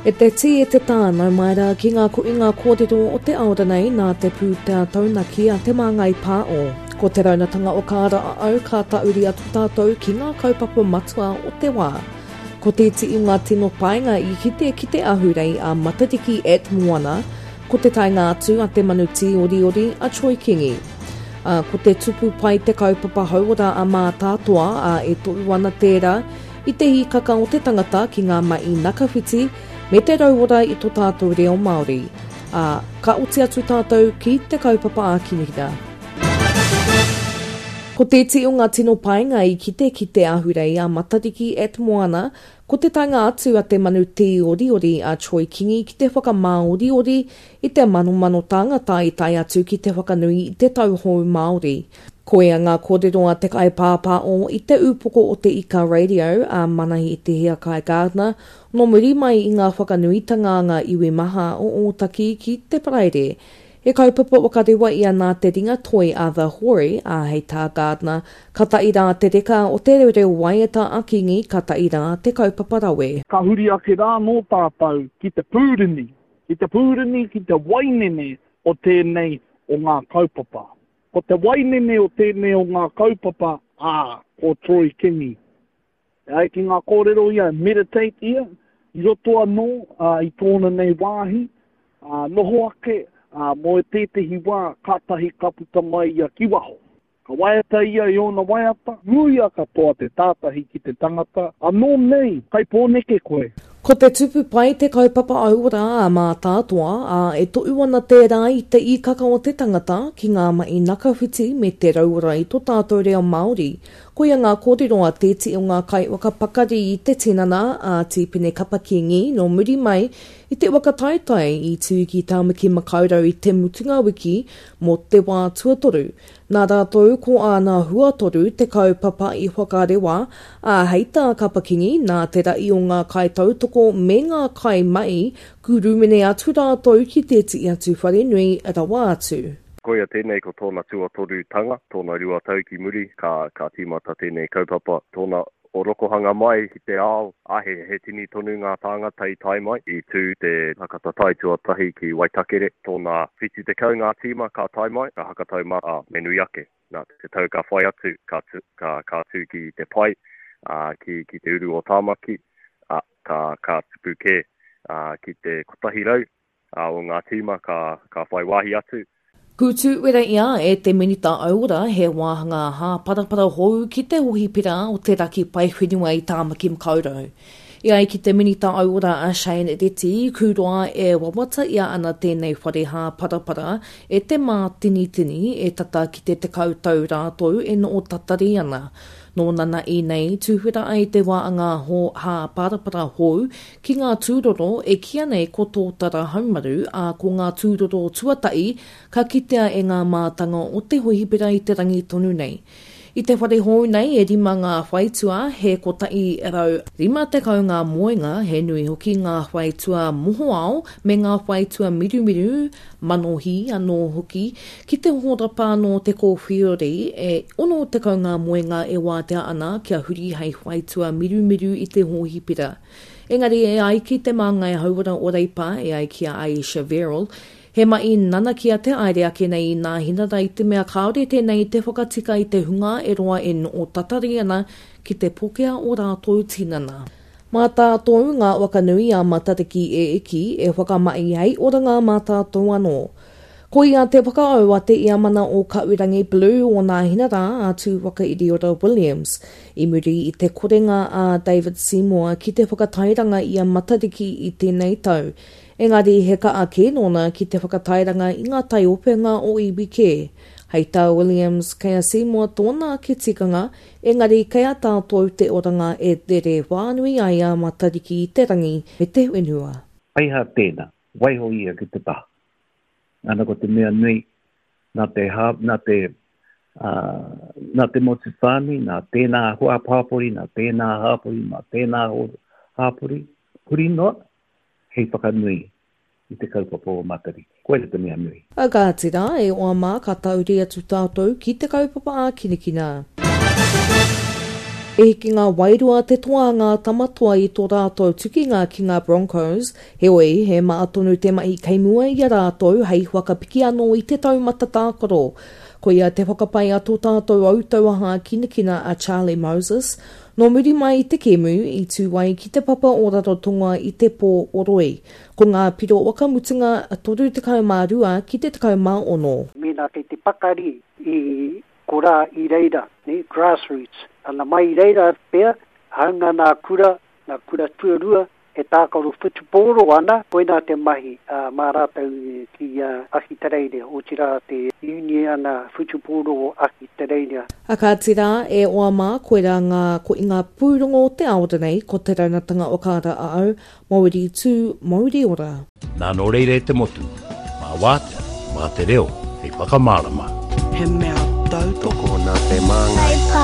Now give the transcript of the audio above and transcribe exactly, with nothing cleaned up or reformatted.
E te tī e te tā, nau mai rā ki ngā kuinga kōrero o te aora nei nā te pūtea taunaki a Te Māngai Pāo. Ko te raunatanga o Kāra a au ka tauri atu tātou ki ngā kaupapa matua o te wā. Ko te iti i ngā tino painga i kite ki te ahurei a Matariki at Moana, ko te taenga atu a te manu tīoriori a Troy Kingi. Ā, ko te tupu pai te kaupapa hauora a Mātātoa, ā, e tohu ana tērā i te hīkaka o te tangata ki ngā mahi nakawhiti me te rauora i tō tātou reo Māori. Ā, ka oti atu tātou ki te kaupapa ākinihina. Ko te iti o ngā tino painga i kite ki te ahurei a Matariki at Moana, ko te taenga atu a te manu tīoriori a Troy Kingi ki te whakamāoriori i te manomano tāngata i tae atu ki te whakanui i te tau hou Māori. Koia ngā kōrero a te kaipāpāo i te upoko o te Ika Radio a Manahi Te Hiakai Gardner nō muri mai i ngā whakanuitanga a ngā iwi maha o Ōtaki ki te Paraire. He kaupapa whakarewa ia nā te ringa toi a The Hori, ā, hei tā Gardner, ka tae rā te reka o te reo waiata a Kingi, ka tae rā te kaupapa rawe. Ka huri ake rā anō tātou ki te pūrini, ki te pūrini, ki te wainene o tēnei o ngā kaupapa. Ko te wainene o tēnei o ngā kaupapa, ā, ko Troy Kingi. E ai ki ngā kōrero ia, meditate ia, i roto anō ā, i tōna nei wāhi, ā, noho ake, ā, mō tētehi wā, kātahi ka puta mai ia ki waho. Ka waiata ia i ōna waiata, muia katoa te tātahi ki te tangata, anō nei, kai Pōneke koe. Ko te tupu pai te kaupapa hauora a Mātātoa, ā, e tohu ana tērā i te īkaka o te tangata ki ngā mahi nakawhiti me te rauora i tō tātou reo Māori. Koia ngā kōrero a tētehi o ngā kaiwhakapakari i te tinana, a Tīpene Kapa Kingi, nō muri mai i te whakataetae i tū ki Tāmaki Makaurau i te mutunga wiki mō te wā tuatoru. Nā rātou ko āna huatoru te kaupapa i whakarewa, ā, hei tā Kapa Kingi, nā te rahi o ngā kaitautoko me ngā kaimahi, kūrumene atu rātou ki tētehi atu wharenui rawa atu. Koia tēnei ko tōna tuatorutanga, tōna rua tau ki muri, ka, ka tīmata tēnei kaupapa, tōna orokohanga mai ki te ao, ā, he, he tini tonu ngā tāngata i tae mai. I tū te whakatatae tuatahi ki Waitakere, tōna whitu tekau ngā tīma ka tae mai, ka hakatau mā, ā, me nui ake. Nā, te tau ka whai atu, ka, ka, ka tū ki te pae, ā, ki, ki te uru o Tāmaki, ā, ka, ka tupu kē, ā, ki te kotahi rau, ā, o ngā tīma ka, ka whai wāhi atu. Kūtūwera ia e te Minita Auora he wāhanga hāparapara hou ki te hohipera o te Raki Paewhenua i Tāmaki Makaurau. E ai ki te Minita Auora a Shane Reti, kūroa e wawata ia ana tēnei whare hāparapara e te mātinitini e tata ki te tekau tau rātou e noho tatari ana. Nō nana ēnei, tūhura ai te wāanga hāparapara hou ki ngā tūroro e kīia nei ko Tōtara Haumaru, ā, ko ngā tūroro tuatahi ka kitea e ngā mātanga o te hohipera i te rangi tonu nei. I te whare hou nei e rima ngā whaitua, he kotahi rau rima tekau ngā moenga, he nui hoki ngā whaitua mohoao me ngā whaitua mirumiru, manohi anō hoki, ki te hōrapa anō te kōwhiori, e ono tekau ngā moenga e wātea ana kia huri hei whaitua mirumiru i te hōhipera. Engari e ai ki te māngai hauora o Reipa, e ai ki a Ayesha Verrall, he mahi nanakia te haere ake nei i Nāhinara i te mea kāore tēnei i te whakatika i te hunga e roa e noho tatari ana ki te pokea o rātou tinana. Mā tātou ngā waka nui a Matariki e eki, e whakamahi hei oranga mā tātou anō. Koia te whakaau a te iamana o Kaurangi Blue o Nāhinara a Tūwhakairiora Williams, i muri i te korenga a David Seymour ki te whakatairanga i a Matariki i tēnei tau. Engari he kaha kē nōna ki te whakatairanga i ngā taiopenga o iwi kē. Hei tā Williams, kei a Seymour tōna ake tikanga, engari kei a tātou te oranga e rere whānui ai a Matariki i te rangi me te whenua. Paiha tēnā, waiho ia ki te taha. Ana ko te mea nui, nā te, hā, nā te, uh, nā te motu whānui, nā tēnā hoa pāpori, nā tēnā hāpori, nā tēnā hāpori, huri noa, hei whakanui i te kaupapa o Matariki. Koira te mea nui. A kāti rā, e oa mā ka tauri atu tātou ki te kaupapa ākinakina. E hiki ngā wairua te toa ngā tamatoa i tō rātou tukinga ki ngā Broncos, heoi he maa tonu te mahi kei mua i a rātou hei whakapiki anō i te taumata tākaro. Koia te whakapai a tō tātou autau hākinakina a Charlie Moses, nō muri mai i te kēmu i tū ai ki te papa o Rarotonga i te pō o Roi. Ko ngā piro wakamutunga toru tekau mā rua ki te tekau mā ono. Mēnā kei te pakari i korā i reira, ne, grassroots. Ana mai i reira pea, hāunga nā kura, nā kura tuarua, e tākaro whutupōro ana, koinā te mahi uh, mā rātou ki uh, Ahitereiria, otirā te Uniana Whutupōro o Ahitereiria. A kāti rā, e oa mā, koirā ngā, ko i ngā pūrongo o te ao nei, ko te raunatanga o kāra a au, mauri tū, mauri ora. Nā nō reira e te motu, mā wātea, mā te reo, hei whakamārama. He mea tautoko nā te māngai.